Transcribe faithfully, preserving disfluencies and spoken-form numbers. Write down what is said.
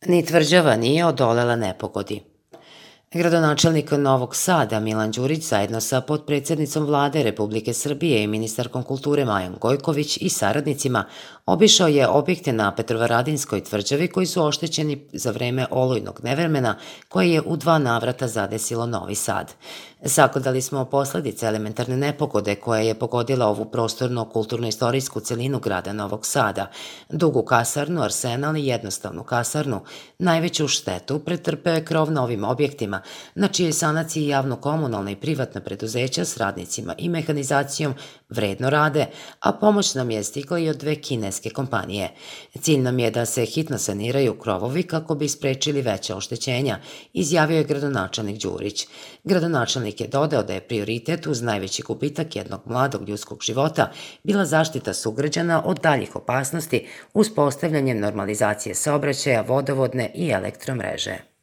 Ni tvrđava nije odolela nepogodi. Gradonačelnik Novog Sada Milan Đurić zajedno sa potpredsednicom Vlade Republike Srbije i ministarkom kulture Majom Gojković i saradnicima obišao je objekte na Petrovaradinskoj tvrđavi koji su oštećeni za vreme olujnog nevremena koje je u dva navrata zadesilo Novi Sad. Sagledali smo posledice elementarne nepogode koja je pogodila ovu prostorno-kulturno-istorijsku celinu grada Novog Sada, dugu kasarnu, arsenal i jednostavnu kasarnu. Najveću štetu pretrpeo je krov na ovim objektima, na čijoj sanaciji javno-komunalna i privatna preduzeća s radnicima i mehanizacijom vredno rade, a pomoć nam je stigla i od dve kineske kompanije. Cilj nam je da se hitno saniraju krovovi kako bi sprečili veća oštećenja, izjavio je gradonačelnik Đurić. Gradonačelnik je dodao da je prioritet uz najveći gubitak jednog mladog ljudskog života bila zaštita sugrađana od daljih opasnosti uz postavljanje normalizacije saobraćaja, vodovodne i elektromreže.